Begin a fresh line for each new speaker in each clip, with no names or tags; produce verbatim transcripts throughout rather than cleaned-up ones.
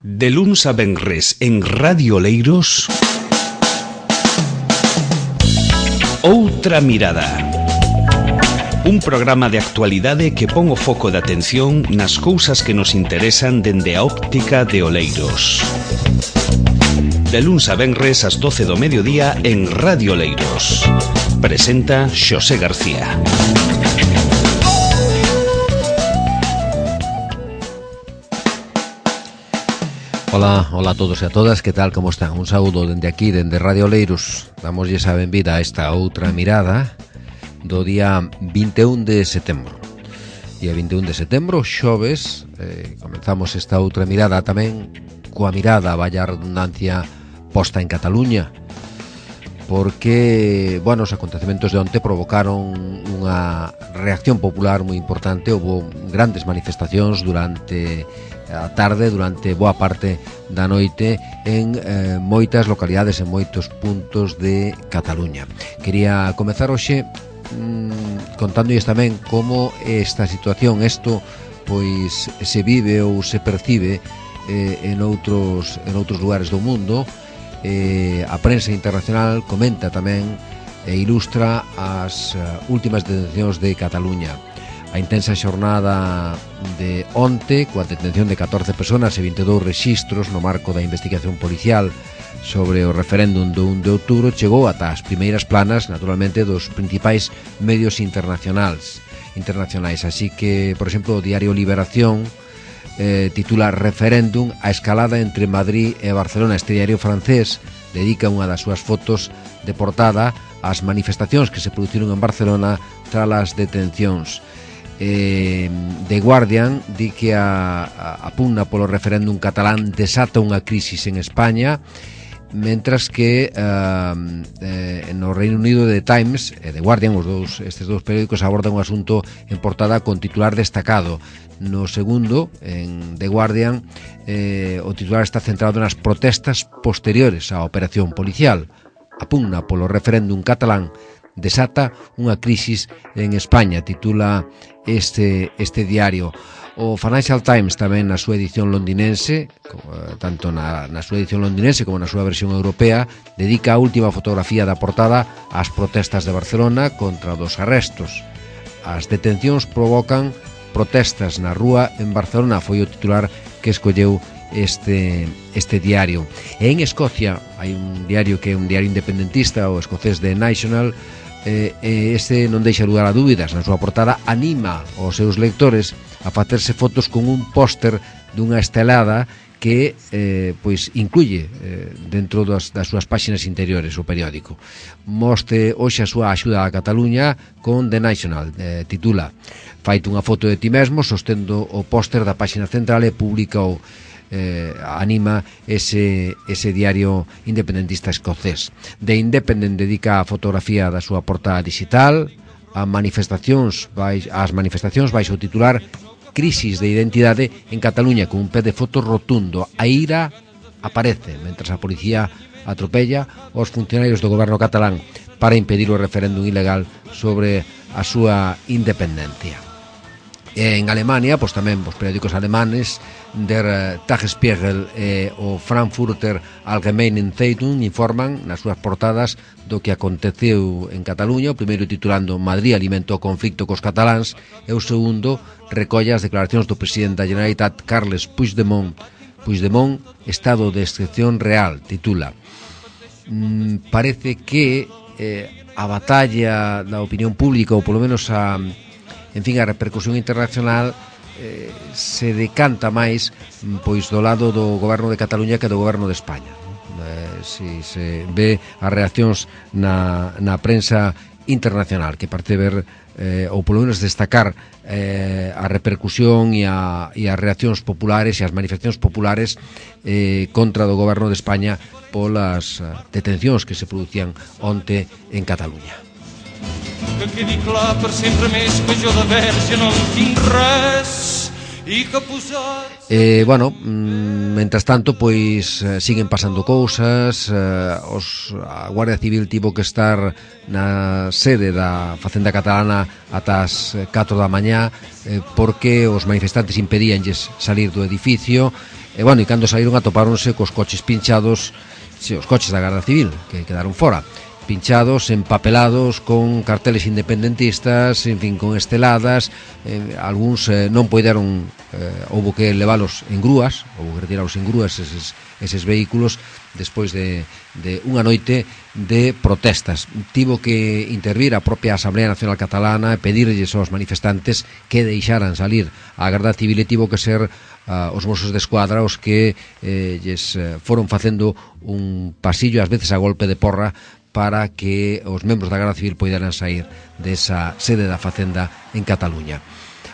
De luns a venres en Radio Oleiros, Outra Mirada. Un programa de actualidade que pon o foco de atención nas cousas que nos interesan dende a óptica de Oleiros. De luns a venres ás doce do mediodía en Radio Oleiros. Presenta Xosé García.
Ola, ola a todos e a todas, que tal, como están? Un saúdo dende aquí, dende Radio Oleiros. Damoslle a benvida a esta outra mirada do día vinte e un de setembro. Día vinte e un de setembro, xoves, eh, comenzamos esta outra mirada tamén coa mirada, vaya redundancia, posta en Cataluña, porque, bueno, os acontecementos de onte provocaron unha reacción popular moi importante. Houve grandes manifestacións durante a tarde, durante boa parte da noite en eh, moitas localidades, en moitos puntos de Cataluña. Quería comezar hoxe mmm, contándolles tamén como esta situación, isto pois se vive ou se percibe eh, en outros en outros lugares do mundo. Eh, a prensa internacional comenta tamén e ilustra as uh, últimas detencións de Cataluña. A intensa xornada de onte, coa detención de catorce personas e vinte e dous rexistros no marco da investigación policial sobre o referéndum do un de outubro, chegou ata as primeiras planas, naturalmente, dos principais medios internacionais. internacionais. Así que, por exemplo, o diario Liberación eh, titula Referéndum, a escalada entre Madrid e Barcelona. Este diario francés dedica unha das súas fotos de portada ás manifestacións que se produciron en Barcelona tras as detencións. Eh, The Guardian di que a, a, a pugna polo referéndum catalán desata unha crisis en España, mentras que uh, eh, no Reino Unido The Times e The Guardian, os dous, estes dous periódicos, abordan un asunto en portada con titular destacado. No segundo, en The Guardian, eh, o titular está centrado nas protestas posteriores á operación policial. A pugna polo referéndum catalán desata unha crisis en España, titula este, este diario. O Financial Times tamén na súa edición londinense, tanto na, na súa edición londinense como na súa versión europea, dedica a última fotografía da portada ás protestas de Barcelona contra dos arrestos. As detencións provocan protestas na rúa en Barcelona, foi o titular que escolleu este, este diario. E en Escocia hai un diario que é un diario independentista, o escocés The National. Eh, este non deixa lugar a dúbidas. Na súa portada anima aos seus lectores a facerse fotos con un póster dunha estelada que eh, pois incluye eh, dentro das, das súas páxinas interiores o periódico. Mostre hoxe a súa axuda a Cataluña con The National. Eh, titula Faite unha foto de ti mesmo sostendo o póster da páxina central e publica o Eh, anima ese, ese diario independentista escocés. The Independent dedica a fotografía da súa portada digital a manifestacións vais, as manifestacións baixo o titular Crisis de identidade en Cataluña, con un pé de foto rotundo. A ira aparece mentras a policía atropella os funcionarios do goberno catalán para impedir o referéndum ilegal sobre a súa independencia. En Alemania, pois tamén os periódicos alemanes Der Tagesspiegel e o Frankfurter Allgemeine Zeitung informan nas súas portadas do que aconteceu en Cataluña. O primeiro titulando Madrid alimenta o conflicto cos cataláns e o segundo recolle as declaracións do presidente da Generalitat Carles Puigdemont. Puigdemont, estado de excepción real, titula. Mm, parece que eh, a batalla da opinión pública, ou polo menos a en fin, a repercusión internacional eh, se decanta máis pois do lado do goberno de Cataluña que do goberno de España. Eh, si se ve as reaccións na, na prensa internacional, que parte ver eh, ou polo menos destacar eh, a repercusión e, a, e as reaccións populares e as manifestacións populares eh, contra do goberno de España polas uh, detencións que se producían onte en Cataluña.
Que quedi clar per sempre més que jo de verge no en tinc res
E, bueno, mentras tanto, pois siguen pasando cousas. Os, a Guardia Civil tivo que estar na sede da Facenda Catalana ata as catro da mañá eh, porque os manifestantes impedíanlles salir do edificio. E, bueno, e cando saíron atopáronse cos coches pinchados, sí, os coches da Garda Civil, que quedaron fora, pinchados, empapelados, con carteles independentistas, en fin, con esteladas. eh, algúns eh, non poideron, eh, houbo que leválos en grúas, houbo que retiralos en grúas eses, eses vehículos, despois de, de unha noite de protestas. Tivo que intervir a propia Asamblea Nacional Catalana e pedirlles aos manifestantes que deixaran salir a Garda Civil, e tivo que ser uh, os Mossos de Escuadra os que eh, lles eh, foron facendo un pasillo, ás veces a golpe de porra, para que os membros da Garda Civil poideran sair desa sede da Facenda en Cataluña.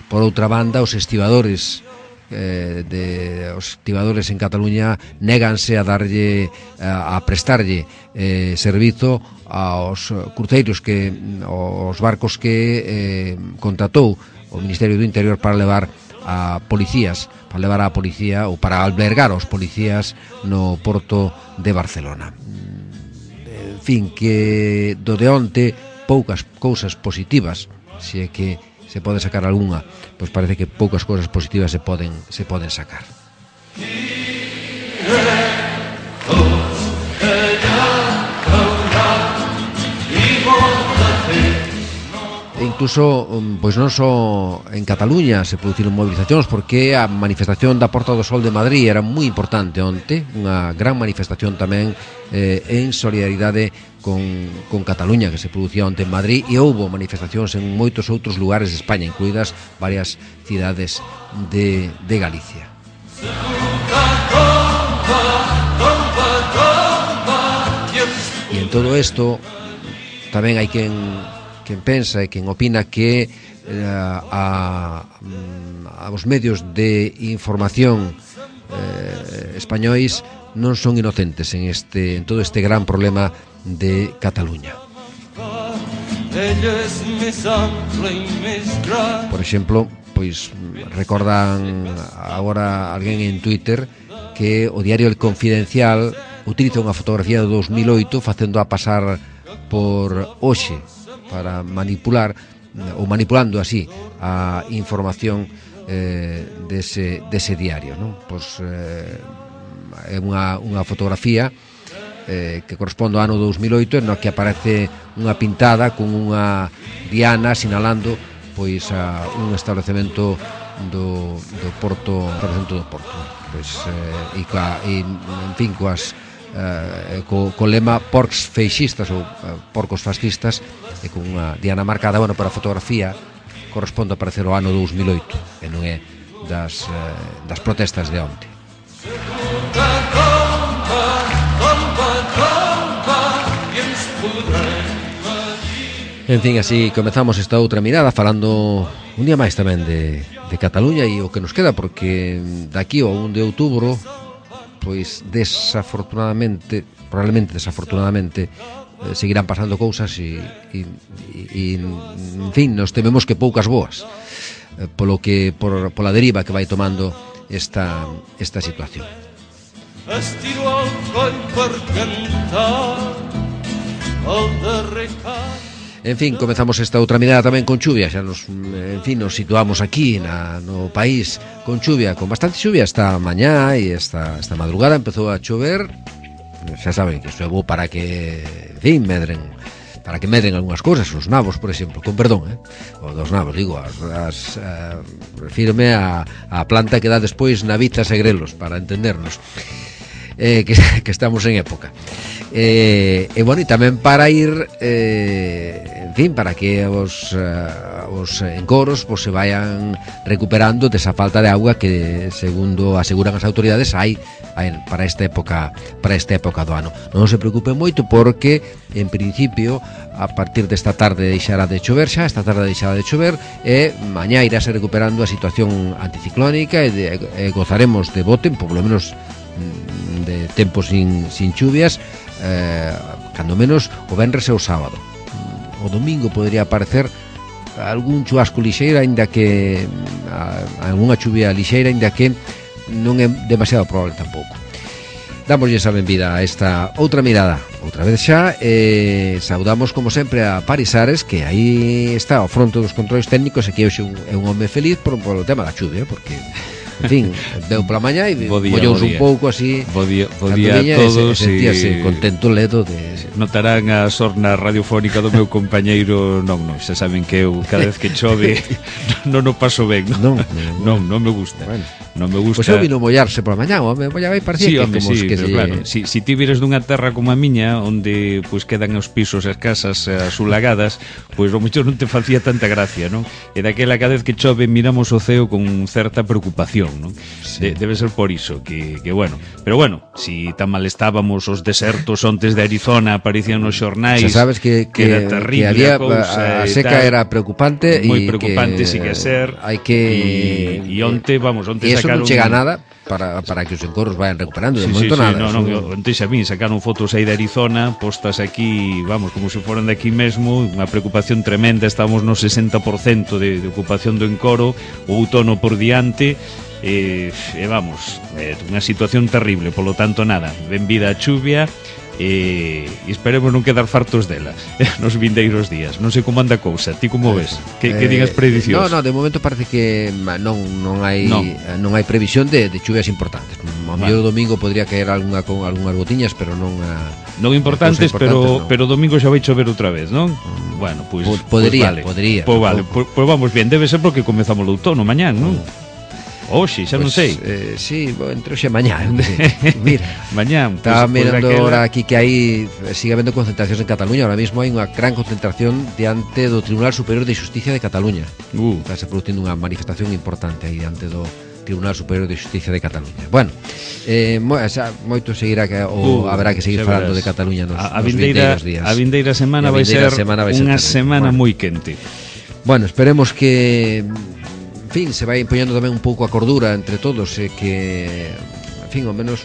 Por outra banda, os estibadores eh, de, os estibadores en Cataluña néganse a darlle a, a prestarlle eh, servizo aos cruceiros que aos barcos que eh, contratou o Ministerio do Interior para levar a policías, para levar a policía ou para albergar aos policías no porto de Barcelona. En fin, que do de onte poucas cousas positivas, se é que se pode sacar algunha, pois parece que poucas cousas positivas se poden se poden sacar. E incluso, pois non só en Cataluña se produciron movilizacións, porque a manifestación da Porta do Sol de Madrid era moi importante onte, unha gran manifestación tamén eh, en solidaridade con, con Cataluña, que se producía onte en Madrid, e houbo manifestacións en moitos outros lugares de España, incluídas varias cidades de, de Galicia. E en todo isto tamén hai quen quen pensa e quen opina que eh, a, a os medios de información eh, españois non son inocentes en este en todo este gran problema de Cataluña. Por exemplo, pois recordan agora alguén en Twitter que o diario El Confidencial utiliza unha fotografía do dos mil oito facendo a pasar por hoxe para manipular ou manipulando así a información eh, dese, dese diario, non? Pois eh, é unha, unha fotografía eh, que corresponde ao ano dos mil oito, no que aparece unha pintada con unha diana sinalando pois a un establecemento do, do Porto, establecemento do Porto, pois eh, e, coa, e en fin coas Uh, co, co lema porcs feixistas ou uh, porcos fascistas, e con unha diana marcada. Bueno, para a fotografía corresponde a aparecer o ano dos mil oito e non é das, uh, das protestas de onte. En fin, así comezamos esta outra mirada falando un día máis tamén de, de Cataluña e o que nos queda, porque daqui ao un de outubro pois desafortunadamente, probablemente desafortunadamente, eh, seguirán pasando cousas e, e, e, en fin, nos tememos que poucas boas, eh, polo que por, pola deriva que vai tomando esta, esta situación. Estiro al coll per cantar el darrer cal. En fin, comezamos esta outra mirada tamén con chuvia. Xa nos, en fin, nos situamos aquí na, no país con chuvia, con bastante chuvia esta mañá e esta, esta madrugada empezou a chover. Xa saben que isto é bo para que, en fin, medren, para que medren algunhas cousas, os nabos, por exemplo, con perdón, eh? O dos nabos, digo, as, as, uh, refírome a, a planta que dá despois navitas e grelos, para entendernos. Eh, que, que estamos en época eh, e bueno, e tamén para ir eh, en fin, para que os, uh, os encoros pues, se vayan recuperando desa falta de agua que, segundo aseguran as autoridades, hai, hai para esta época para esta época do ano. Non se preocupen moito, porque en principio a partir desta tarde deixará de chover, xa esta tarde deixará de chover, e mañá irase recuperando a situación anticiclónica e, de, e gozaremos de bo tempo, polo menos de tempo sin, sin chuvias, eh, cando menos o venres e o sábado. O domingo podría aparecer algún chubasco lixeiro, aínda que a, algunha chuvia lixeira, aínda que non é demasiado probable tampouco. Dámoslle esa benvida a esta outra mirada outra vez xa, e saudamos como sempre a Paris Ares, que aí está ao fronte dos controles técnicos, e que hoxe é un home feliz por, por o tema da chuvia, porque en fin, deu pola mañá e mollouse un pouco así.
Bo día, bo día a todos.
Sentíase contento ledo de...
Notarán a sorna radiofónica do meu compañeiro. Non, non, xa saben que eu cada vez que chove non o paso ben. Non, non, non me gusta.
Bueno,
non me gusta.
Pois eu vino mollarse pola mañá, home, mollaba e parecía
sí,
que
home,
como
sí,
que
pero
se...
claro, si, si ti vires dunha terra como a miña, onde pois quedan os pisos e as casas asulagadas, pois o mellor non te facía tanta gracia, non? E daquela cada vez que chove miramos o ceo con certa preocupación, non? Sí. De, debe ser por iso que, que bueno, pero bueno, si tan mal estábamos os desertos ontes de Arizona aparecían nos xornais.
Xa sabes que, que,
que era terrible,
que había,
cousa,
a seca era preocupante,
moi
e
preocupante
que,
si que ser.
Hai que
e, e onte, vamos, onte
e eso
sacaron...
non chega nada para, para que os encorros vayan recuperando, de
sí,
momento
sí, sí,
nada.
No, no, onte xa vin, sacaron fotos aí de Arizona postas aquí, vamos, como se foran de aquí mesmo, unha preocupación tremenda. Estamos no sesenta por cento de, de ocupación do encoro, o outono por diante. E, e vamos, é unha situación terrible, polo tanto nada, benvida a chuvia e, e esperemos non quedar fartos dela nos vindeiros días. Non sei como anda a cousa, ti como ves? Que, que digas predicións?
No, no, de momento parece que non non hai
non,
non hai previsión de, de chuvias importantes. O mellor o domingo podría caer algunha con algunhas gotiñas, pero non a,
non importantes, pero
no.
pero domingo xa vai chover outra vez, non? Mm. Bueno, pois pues,
podría,
pues vale.
podría.
Pois pues vale, pois pues, pues vamos bien, debe ser porque comezamos o outono mañán, non? Mm. Oxe, xa pues, non sei.
Eh, sí, entre hoxe e mañá. Mira,
mañán.
Estaba
pues,
mirando
pues
ahora aquí que hai sigue habendo concentracións en Cataluña. Ahora mismo hai unha gran concentración diante do Tribunal Superior de Xusticia de Cataluña. Uh. Está se producindo unha manifestación importante aí diante do Tribunal Superior de Xusticia de Cataluña. Bueno, eh, mo, xa, moito seguirá que, o uh, haberá que seguir falando de Cataluña nos,
a, a
nos
vindeira,
vindeiros días.
A vindeira semana vai ser
semana vai
unha
ser
semana
bueno.
moi quente.
Bueno, esperemos que en fin, se vai impoñendo tamén un pouco a cordura entre todos, e que, en fin, ao menos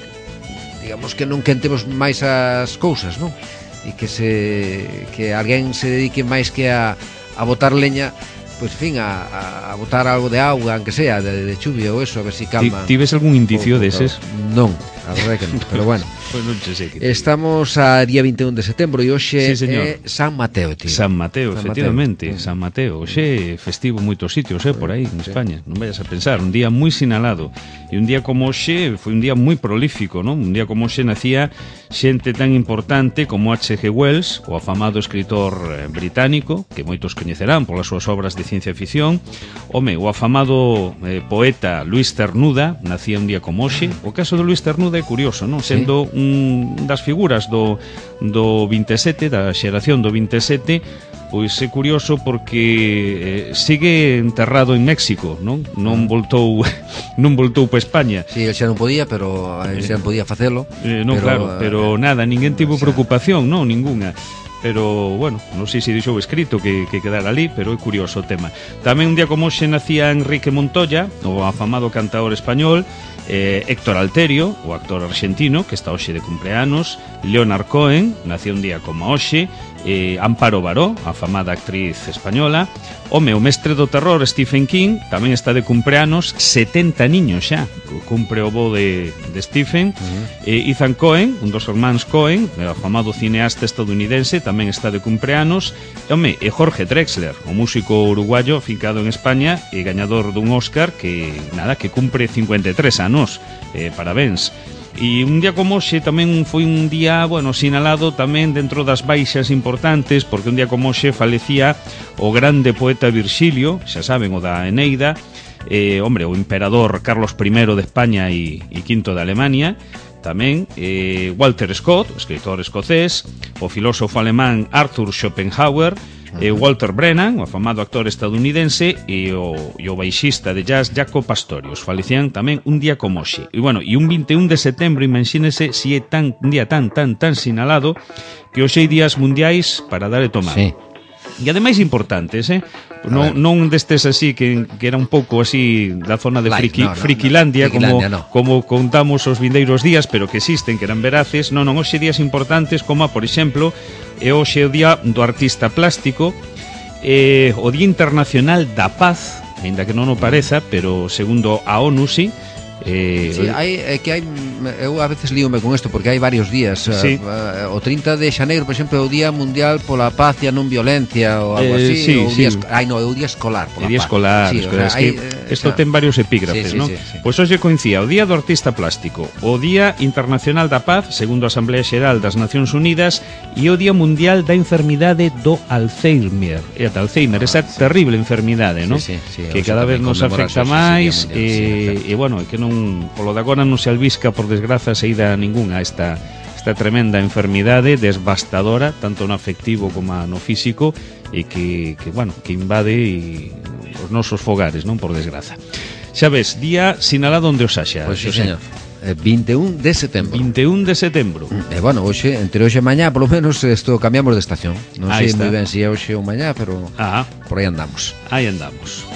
digamos que non quentemos máis as cousas, non? E que se que alguén se dedique máis que a, a botar leña, pois, en fin, a, a botar algo de auga, aunque sea, de, de chuvia ou eso, a ver si calma.
Ti ves algún indicio deses?
Non, a verdade que non, pero bueno.
Pues non che sei que
estamos a día vinte e un de setembro e hoxe
sí,
é San Mateo, tío.
San Mateo,
San
efectivamente,
Mateo.
San Mateo. Hoxe festivo en moitos sitios, eh, por aí, en España. Non vayas a pensar, un día moi sinalado. E un día como hoxe foi un día moi prolífico, non? Un día como hoxe nacía xente tan importante como H G Wells, o afamado escritor británico, que moitos coñecerán polas súas obras de ciencia ficción. Home, o afamado eh, poeta Luis Cernuda nacía un día como hoxe. O caso de Luis Cernuda é curioso, non? Sendo sí. un das figuras do, do vinte e sete, da xeración do vinte e sete, pois é curioso porque eh, sigue enterrado en México, non? Non voltou non voltou para España.
Si, sí, el xa non podía, pero el xa non podía facelo.
Eh, non, pero, claro, pero eh, nada, ninguén tivo preocupación, non, ningunha. Pero, bueno, non sei se dixou escrito que, que quedara ali, pero é curioso o tema. Tamén un día como hoxe nacía Enrique Montoya, o afamado cantador español, eh, Héctor Alterio, o actor argentino, que está hoxe de cumpleanos, Leonard Cohen, nacía un día como hoxe, eh, Amparo Baró, a afamada actriz española, home, o mestre do terror Stephen King, tamén está de cumpleanos, setenta niños xa, cumpre o bo de, de Stephen. Uh-huh. eh, Ethan Cohen, un dos hermanos Cohen, o afamado cineasta estadounidense, tamén está de cumpleanos. E, home, e Jorge Drexler, o músico uruguayo fincado en España e gañador dun Oscar, que nada, que cumpre cincuenta e tres anos. Eh, parabéns. E un día como hoxe tamén foi un día, bueno, sinalado tamén dentro das baixas importantes, porque un día como hoxe falecía o grande poeta Virxilio, xa saben, o da Eneida, eh, hombre, o emperador Carlos primero de España e, e quinto de Alemania, tamén eh, Walter Scott, escritor escocés, o filósofo alemán Arthur Schopenhauer, eh, Walter Brennan, o afamado actor estadounidense, e o, e o baixista de jazz Jaco Pastorius. Falecían tamén un día como hoxe. E, bueno, e un vinte e un de setembro, imagínese si é tan, un día tan, tan, tan sinalado, que hoxe hai días mundiais para dar e tomar.
Sí.
E ademais importantes, eh? Non, non destes así que, que era un pouco así da zona de friki, no, no, Frikilandia, no, como, no. como contamos os vindeiros días, pero que existen, que eran veraces. Non, non, hoxe días importantes como, por exemplo, é hoxe o día do artista plástico, eh, o Día Internacional da Paz, ainda que non o pareza, pero segundo a ONU sí. Eh,
sí, hai, é que hai, eu a veces líome con isto porque hai varios días.
Sí.
uh, o trinta de xaneiro, por exemplo, é o Día Mundial pola Paz e a Non Violencia ou algo
eh,
así,
sí,
o
sí.
día, ai no, é o Día Escolar pola
Día
Paz.
escolar,
sí,
escolar.
O sea,
Es que
hai,
isto
o sea,
ten varios epígrafes,
sí, sí,
¿no?
sí, sí.
Pois hoxe coincía o Día do Artista Plástico, o Día Internacional da Paz, segundo a Asamblea Xeral das Nacións Unidas, e o Día Mundial da Enfermidade do Alzheimer. E a Alzheimer, esa
sí.
terrible enfermidade, ¿no?
Sí, sí, sí,
que
hoxe
cada vez
tamén
nos afecta
conmemorase ese
máis
Día Mundial,
e,
sí,
e bueno, que non polo de agora non se albisca por desgraza saída ningunha esta esta tremenda enfermidade devastadora tanto no afectivo como no físico e que, que bueno, que invade e os nosos fogares, non, por desgraza. Xa ves, día sinalado onde os haxa.
Pois sí, señor. vinte e un de setembro.
vinte e un de setembro.
E bueno, hoxe, entre hoxe e mañá, polo menos isto cambiamos de estación. Non
Ahí
sei
está.
moi ben se é hoxe ou mañá, pero
Ah,
por aí andamos.
aí andamos.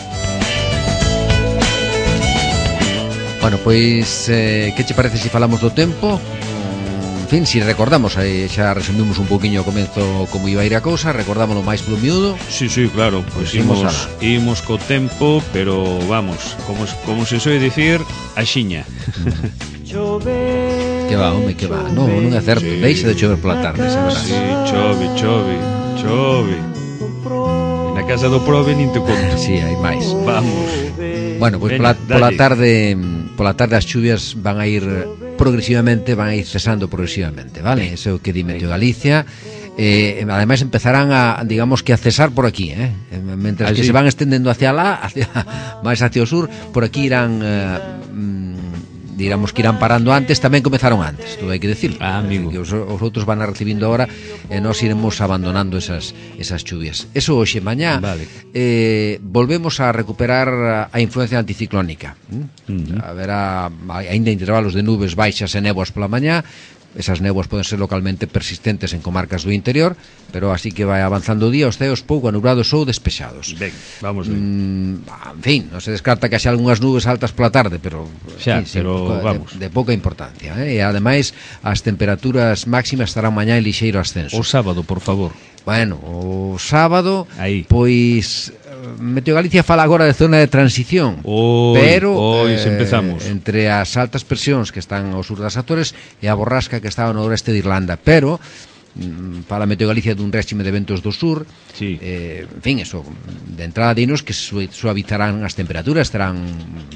Bueno, pois eh, que che parece se falamos do tempo? En fin, si recordamos, eh, xa resumimos un poquinho ao comezo como iba a ir a cousa, recordámoslo máis polo miúdo.
Sí, sí, claro, pois
Pois imos
imos, imos co tempo, pero vamos, como, como se soe dicir, axiña.
Que va, home, que va. Non, non é certo,
Sí.
deixa de chover pola tarde, xa verás.
Sí, chove, chove, chove. E na casa do prove nin te conto.
Sí, hai máis.
Vamos.
Bueno, pois
Veña,
pola, pola
dalle.
tarde pola tarde as chuvias van a ir progresivamente, van a ir cesando progresivamente, vale? Eso é o que di Meteo Galicia. Eh, ademais empezarán a, digamos que a cesar por aquí, eh? Mentras
Ah,
que
sí.
se van estendendo hacia lá, hacia, máis hacia o sur, por aquí irán eh, mm, digamos que irán parando antes, tamén comezaron antes, todo hai que decir.
Ah, amigo.
Que os, os outros van a recibindo agora e nós iremos abandonando esas esas chuvias. Eso hoxe mañá
Vale.
eh, volvemos a recuperar a, a influencia anticiclónica. ¿Mm?
Ujú.
Haberá aínda intervalos de nubes baixas e néboas pola mañá. Esas néboas poden ser localmente persistentes en comarcas do interior, pero así que vai avanzando o día, os ceos pouco anubrados ou despexados.
Ben, vamos ben.
Mm, en fin, non se descarta que haxa algunhas nubes altas pola tarde, pero
Xa,
en fin,
pero
de,
vamos.
de, de pouca importancia, eh? E ademais as temperaturas máximas estarán mañá en lixeiro ascenso.
O sábado, por favor.
Bueno, o sábado,
Aí.
pois Meteo Galicia fala agora de zona de transición.
Oi,
pero
oi,
eh,
empezamos.
entre as altas presións que están ao sur das Azores e a borrasca que está ao noroeste de Irlanda, pero mm, fala Meteo Galicia dun réxime de ventos do sur.
Sí.
Eh, en fin, eso, de entrada dinos que su- suavizarán as temperaturas, estarán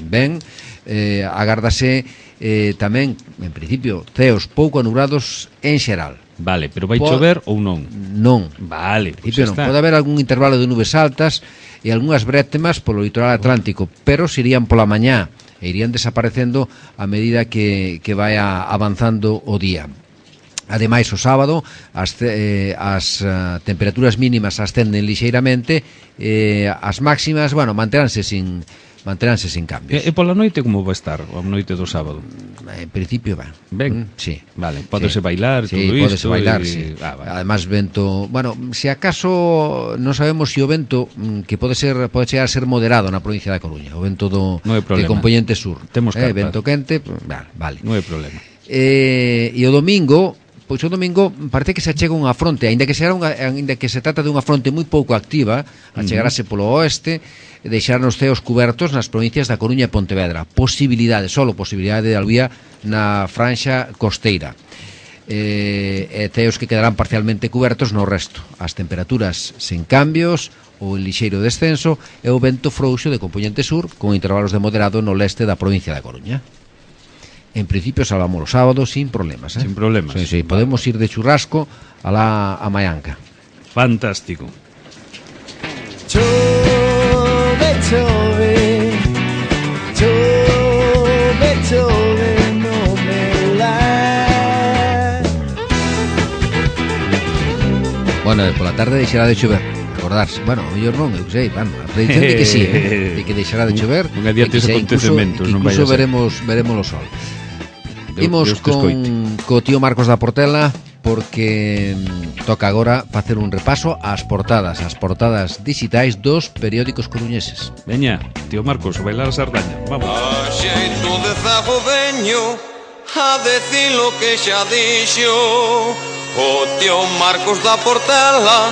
ben. Eh, agárdase eh, tamén, en principio, ceos pouco anubrados en xeral.
Vale, pero vai
Po-
chover ou non?
Non.
Vale,
En
pois
principio
xa
non,
está.
pode haber algún intervalo de nubes altas e algunhas brétemas polo litoral atlántico, pero se irían pola mañá e irían desaparecendo a medida que, que vai a- avanzando o día. Ademais, o sábado as, eh, as uh, temperaturas mínimas ascenden lixeiramente, eh, as máximas, bueno, manteránse sin manteránse sin cambios.
E, e pola noite como vai estar? A noite do sábado?
En principio, ben.
Ben.
Mm, sí.
Vale, pódese
Sí.
bailar,
Sí,
todo
pódese
isto.
bailar,
e...
sí.
Ah, vale.
Además vento, bueno, se acaso non sabemos se o vento mm, que pode ser pode chegar a ser moderado na provincia da Coruña, o vento do
Non hai problema.
de componente sur.
Temos
eh,
carta.
vento quente, pues, vale, vale.
Non hai problema.
Eh, e o domingo, pois o domingo parece que se achega unha fronte, aínda que será unha aínda que se trata de unha fronte moi pouco activa, a chegarase polo oeste, deixar os ceos cubertos nas provincias da Coruña e Pontevedra. Posibilidade, solo posibilidade de alvía na franxa costeira. Eh, e ceos que quedarán parcialmente cubertos no resto. As temperaturas sen cambios, o lixeiro descenso e o vento frouxo de componente sur con intervalos de moderado no leste da provincia da Coruña. En principio salvamos los sábados sin problemas, ¿eh?
Sin problemas.
Sí, sí, podemos ir de churrasco a la a Mayanca.
Fantástico.
Chove, chove, chove, chove, no me la.
Bueno, e pola tarde deixará de chover. Acordarse, bueno, o mellor non, eu sei, bueno, a predicción de que sí, eh? de que deixará de chover.
Un adiante
e que
os
xa incluso-
acontecementos,
que
non vai
incluso
a ser.
veremos veremos o sol.
Deus-
Imos
Deus te escoite.
con co tío Marcos da Portela porque mm, toca agora facer un repaso ás portadas, as portadas digitais dos periódicos coruñeses.
Veña, tío Marcos, bailar a sardaña. Vamos.
A xeito de zagodeño, a decir lo que xa dixo o tío Marcos da Portela,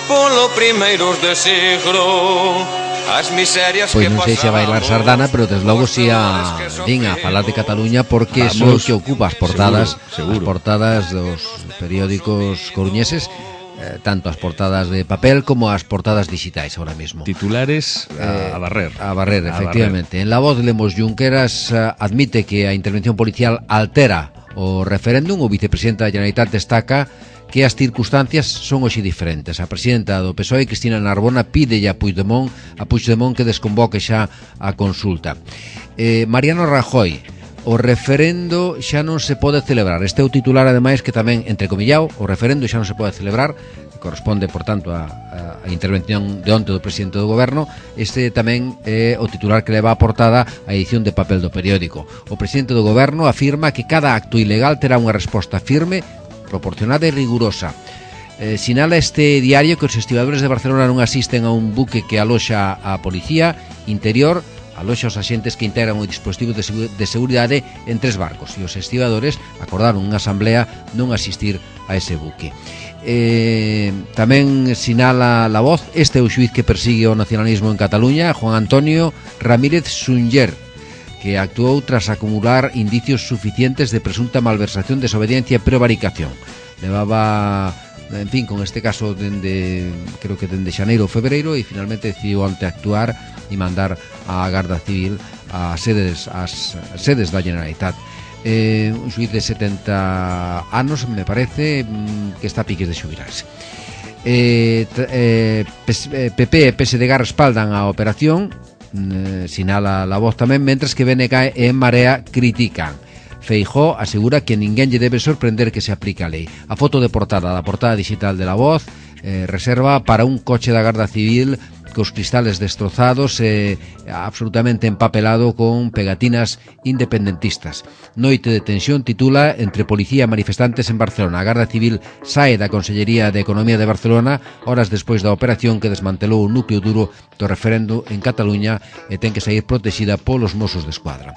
polo primeiros de siglo. As miserias
Pois
que
non sei se a bailar sardana, pero desde logo si a din a falar de Cataluña, porque é o que ocupa as portadas,
seguro, seguro.
as portadas dos periódicos coruñeses, eh, tanto as portadas de papel como as portadas digitais ahora mismo.
Titulares a,
Eh,
a barrer.
A barrer,
A
efectivamente. En La Voz lemos Junqueras eh, admite que a intervención policial altera o referéndum. O vicepresidente da Generalitat destaca que as circunstancias son hoxe diferentes. A presidenta do P S O E, Cristina Narbona, pide a Puigdemont, a Puigdemont que desconvoque xa a consulta. Eh, Mariano Rajoy, o referendo xa non se pode celebrar. Este é o titular, ademais, que tamén, entrecomillado, o referendo xa non se pode celebrar, corresponde, por tanto, a, a intervención de onte do presidente do goberno. Este tamén é o titular que leva a portada a edición de papel do periódico. O presidente do goberno afirma que cada acto ilegal terá unha resposta firme, proporcionada e rigurosa. Eh, sinala este diario que os estibadores de Barcelona non asisten a un buque que aloxa a policía interior, aloxa os axentes que integran o dispositivo de, segu de seguridade en tres barcos, e os estibadores acordaron unha asamblea non asistir a ese buque. Eh, tamén sinala La Voz, este é o xuiz que persigue o nacionalismo en Cataluña, Juan Antonio Ramírez Sunyer, que actuou tras acumular indicios suficientes de presunta malversación, desobediencia e prevaricación. Levaba, en fin, con este caso dende, creo que dende xaneiro ou febreiro, e finalmente decidiu ante actuar e mandar a Garda Civil a sedes, as sedes da Generalitat. Eh, un xuiz de setenta anos, me parece, que está a piques de xubilarse. Eh, eh, P P e P S D G respaldan a operación, eh, sinala La Voz tamén, mentres que B N G e En Marea critican. Feijóo asegura que ninguén lle debe sorprender que se aplica a lei. A foto de portada da portada digital de La Voz eh, reserva para un coche da Garda Civil cos cristales destrozados e eh, absolutamente empapelado con pegatinas independentistas. Noite de tensión titula Entre policía e manifestantes en Barcelona. A Garda Civil sae da Consellería de Economía de Barcelona horas despois da operación que desmantelou o núcleo duro do referendo en Cataluña e ten que sair protexida polos Mossos de Escuadra.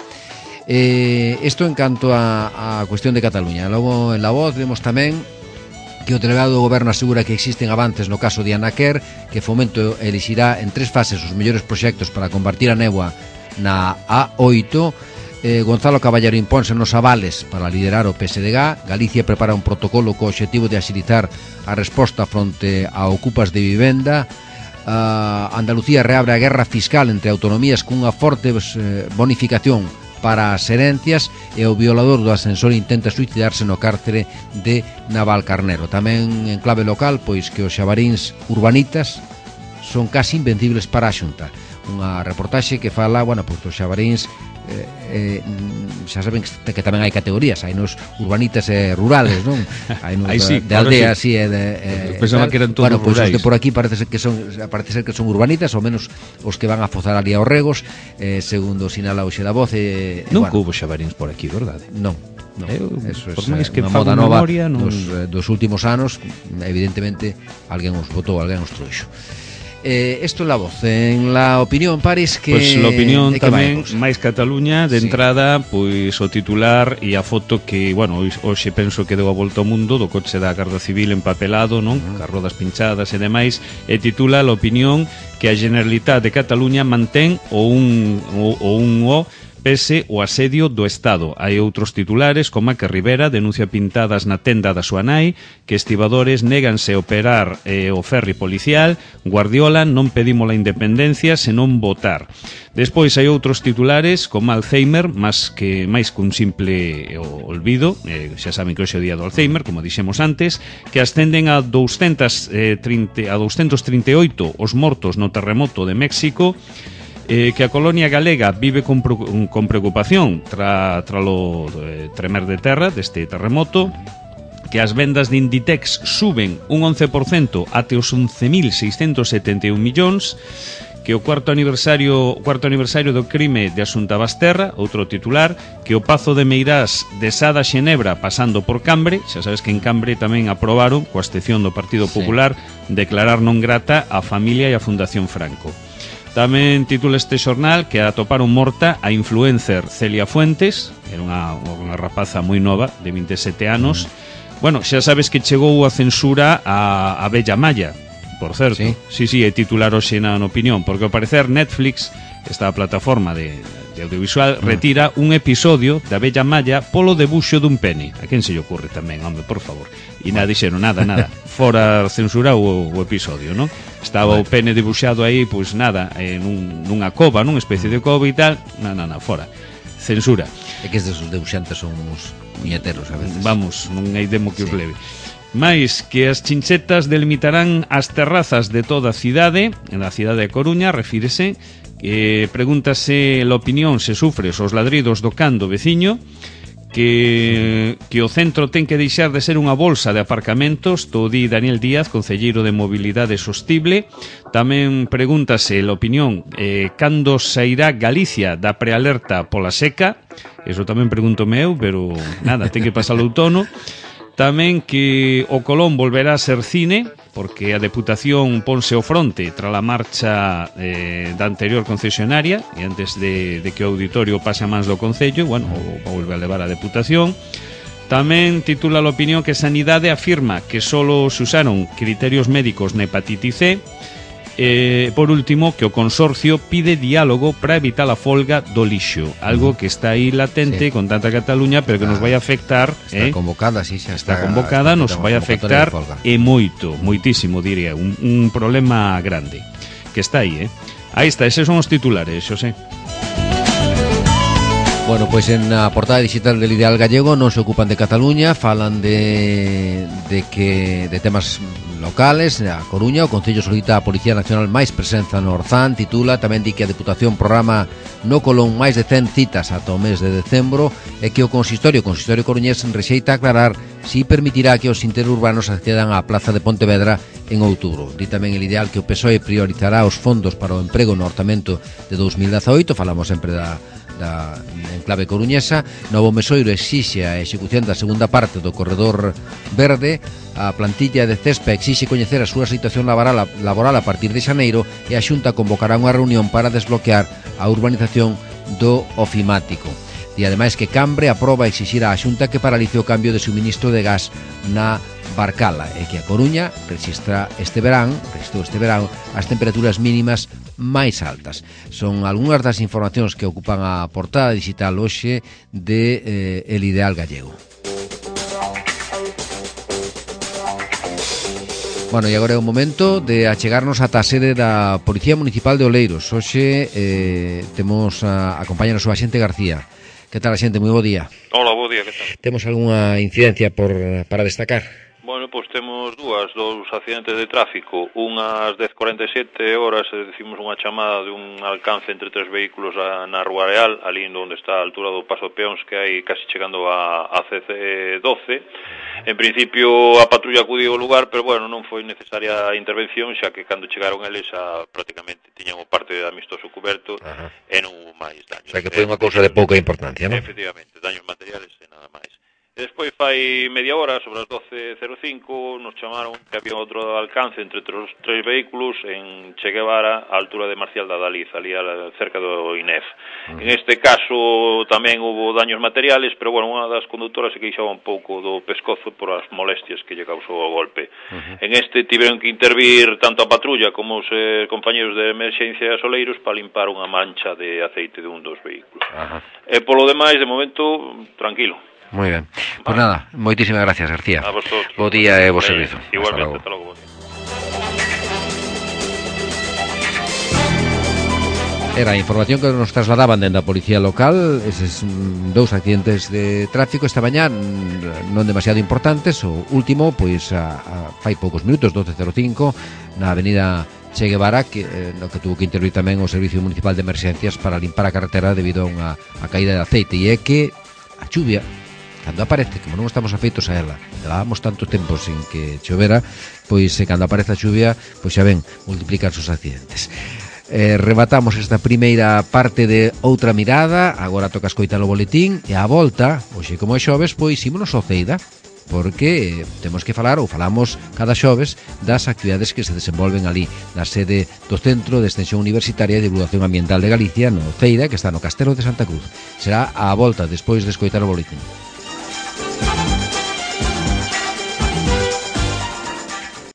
Eh, isto en canto a, a cuestión de Cataluña. Logo en La Voz vemos tamén que o delegado do goberno asegura que existen avances no caso de Anaquer, que Fomento elixirá en tres fases os mellores proxectos para combatir a néboa na A oito. eh, Gonzalo Caballero imponse nos avales para liderar o P S D G. Galicia prepara un protocolo co obxectivo de axilizar a resposta fronte a ocupas de vivenda. uh, Andalucía reabre a guerra fiscal entre autonomías cunha forte eh, bonificación para as herencias, e o violador do ascensor intenta suicidarse no cárcere de Navalcarnero. Tamén en clave local, pois que os xabaríns urbanitas son casi invencibles para a Xunta. Unha reportaxe que fala, bueno, pois os xabaríns eh, eh, xa saben que, que tamén hai categorías, hai nos urbanitas e rurales, non? Hai nos
sí,
de, de aldea así e de eh,
pensaba que eran todos
bueno, pois
rurais.
os de por aquí parece ser que son parece ser que son urbanitas, ou menos os que van a fozar ali aos regos, eh, segundo sinala hoxe La Voz. eh,
Nunca
bueno,
hubo xabaríns por aquí, verdade?
Non. No,
Eu,
eso é
por máis que
unha
fago
moda nova
memoria, non...
dos, eh, dos últimos anos. Evidentemente alguén os botou, alguén os trouxo. Eh, esto é La Voz. En La Opinión, Paris, que...
Pois pues, La Opinión tamén,
vai,
máis Cataluña, de
sí.
entrada, pois o titular e a foto que, bueno, hoxe penso que deu a volta ao mundo do coche da Garda Civil empapelado, non? Uh -huh. Cas rodas pinchadas e demais, e titula La Opinión que a Generalitat de Cataluña mantén o un o, o un o pese o asedio do Estado. Hai outros titulares, como a que Rivera denuncia pintadas na tenda da súa nai, que estibadores néganse a operar eh, o ferri policial, Guardiola non pedimos a independencia senón votar. Despois hai outros titulares, como Alzheimer, máis que máis que un simple olvido, eh, xa saben que hoxe é o día do Alzheimer, como dixemos antes, que ascenden a doscientos trinta, a doscientos trinta e oito os mortos no terremoto de México, eh, que a colonia galega vive con, con preocupación tra, tra lo eh, tremer de terra deste terremoto, que as vendas de Inditex suben un once por cento até os once mil seiscentos setenta e un millóns, que o cuarto aniversario cuarto aniversario do crime de Asunta Basterra, outro titular, que o Pazo de Meirás de Sada Xenebra pasando por Cambre, xa sabes que en Cambre tamén aprobaron, coa excepción do Partido Popular, sí, declarar non grata a familia e a Fundación Franco. Tamén titula este xornal que atoparon morta a influencer Celia Fuentes, era unha, unha rapaza moi nova, de vinte e sete anos. Bueno, xa sabes que chegou a censura a, a Bella Maya, por certo.
Sí,
sí, sí, é titular hoxe na opinión, porque ao parecer Netflix, esta plataforma de, de audiovisual, mm. retira un episodio da Bella Malla polo debuxo dun pene. A quen se lle ocurre tamén, home, por favor. E nada, dixeron, nada, nada, fora censurado o, o episodio, non? Estaba bueno. o pene debuxado aí, pois nada, en un, nunha cova, nunha especie de cova e tal, na, na, na, fora. Censura.
É que estes debuxantes son uns puñeteros a veces.
Vamos, non hai demo que sí. os leve. Mais que as chinchetas delimitarán as terrazas de toda a cidade, en a cidade de Coruña, refírese, eh, pregúntase a opinión se sufres os ladridos do can do veciño, que, que o centro ten que deixar de ser unha bolsa de aparcamentos, todo di Daniel Díaz, concelleiro de Mobilidade Sostible. Tamén pregúntase a opinión eh, cando sairá Galicia da prealerta pola seca, eso tamén pregúntome eu, pero nada, ten que pasar o outono. Tamén que o Colón volverá a ser cine, porque a Deputación ponse ao fronte tras a marcha eh, da anterior concesionaria e antes de, de que o auditorio pase a mans do Concello, bueno, o, o volve a levar a Deputación. Tamén titula a opinión que Sanidade afirma que solo se usaron criterios médicos na hepatitis C. Eh, por último, que o consorcio pide diálogo para evitar a folga do lixo, algo que está aí latente sí. con tanta Cataluña, pero que ah, nos vai afectar.
Está
eh?
convocada, sí, xa está,
está convocada, está, nos vai afectar e moito, moitísimo, diría, un, un problema grande que está aí, eh? Aí está, eses son os titulares, Xosé.
Bueno, pois pues en a portada digital del Ideal Gallego non se ocupan de Cataluña, falan de, de que de temas locales. A Coruña, o Concello solicita a Policía Nacional máis presenza no Orzán, titula, tamén di que a Deputación programa no Colón máis de cen citas ata o mes de decembro e que o Consistorio, o Consistorio coruñés rexeita aclarar si permitirá que os interurbanos accedan á Plaza de Pontevedra en outubro. Di tamén el Ideal que o P S O E priorizará os fondos para o emprego no orçamento de dos mil dezaoito, falamos sempre da da enclave coruñesa. Novo Mesoiro exixe a execución da segunda parte do corredor verde. A plantilla de Cespa exixe coñecer a súa situación laboral, laboral a partir de xaneiro e a Xunta convocará unha reunión para desbloquear a urbanización do ofimático. E ademais que Cambre aproba exixir á Xunta que paralice o cambio de suministro de gas na Barcala e que a Coruña rexistra este verán, rexistrou este verán as temperaturas mínimas máis altas. Son algunhas das informacións que ocupan a portada digital hoxe de eh, El Ideal Gallego. Bueno, e agora é o momento de achegarnos ata a sede da Policía Municipal de Oleiros. Hoxe eh, temos a acompañarnos o axente García. Que tal, axente? Moi bo día.
Hola, bo día, que tal?
Temos algunha incidencia por para destacar?
Bueno, pois temos dúas, dous accidentes de tráfico. Unhas dez cuarenta e sete horas recibimos unha chamada de un alcance entre tres vehículos a, na Rúa Real, ali onde está a altura do Paso de Peóns, que hai casi chegando a, a C C doce. En principio a patrulla acudiu ao lugar, pero bueno, non foi necesaria a intervención, xa que cando chegaron eles a, prácticamente tiñan o parte de amistoso cuberto. Ajá. E non hubo máis daños.
O sea que foi unha cousa de pouca importancia, non?
Efectivamente, daños materiales e nada máis. E despois fai media hora, sobre as doce cero cinco, nos chamaron que había outro alcance entre os tres vehículos en Che Guevara, a altura de Marcial da Daliz, ali cerca do I N E F. Uh-huh. En este caso tamén hubo daños materiales, pero bueno, unha das conductoras se queixaba un pouco do pescozo por as molestias que lle causou o golpe. Uh-huh. En este tiveron que intervir tanto a patrulla como os eh, compañeros de emerxencia Soleiros para limpar unha mancha de aceite de un dos vehículos. Uh-huh. E polo demais, de momento, tranquilo.
Moi ben. Pois pues nada, moitísimas gracias, García.
A vosotros.
Bo día e bo servizo.
Igualmente, hasta logo.
Era a información que nos trasladaban dende a policía local, eses dous accidentes de tráfico esta mañá, non demasiado importantes. O último, pois, a, a, fai poucos minutos, doce cero cinco, na avenida Che Guevara, que, eh, no que tuvo que intervir tamén o Servicio Municipal de Emerxencias para limpar a carretera debido a unha a caída de aceite. E é que a chuvia, cando aparece, como non estamos afeitos a ela, levábamos tanto tempo sin que chovera, pois eh, cando aparece a chuvia, pois xa ven, multiplican os accidentes. Eh, rematamos esta primeira parte de Outra Mirada. Agora toca escoitar o boletín e a volta, hoxe como é xoves, pois ímonos ao Ceida, porque temos que falar, ou falamos cada xoves, das actividades que se desenvolven ali na sede do Centro de Extensión Universitaria e Divulgación Ambiental de Galicia, no Ceida, que está no Castelo de Santa Cruz. Será a volta despois de escoitar o boletín.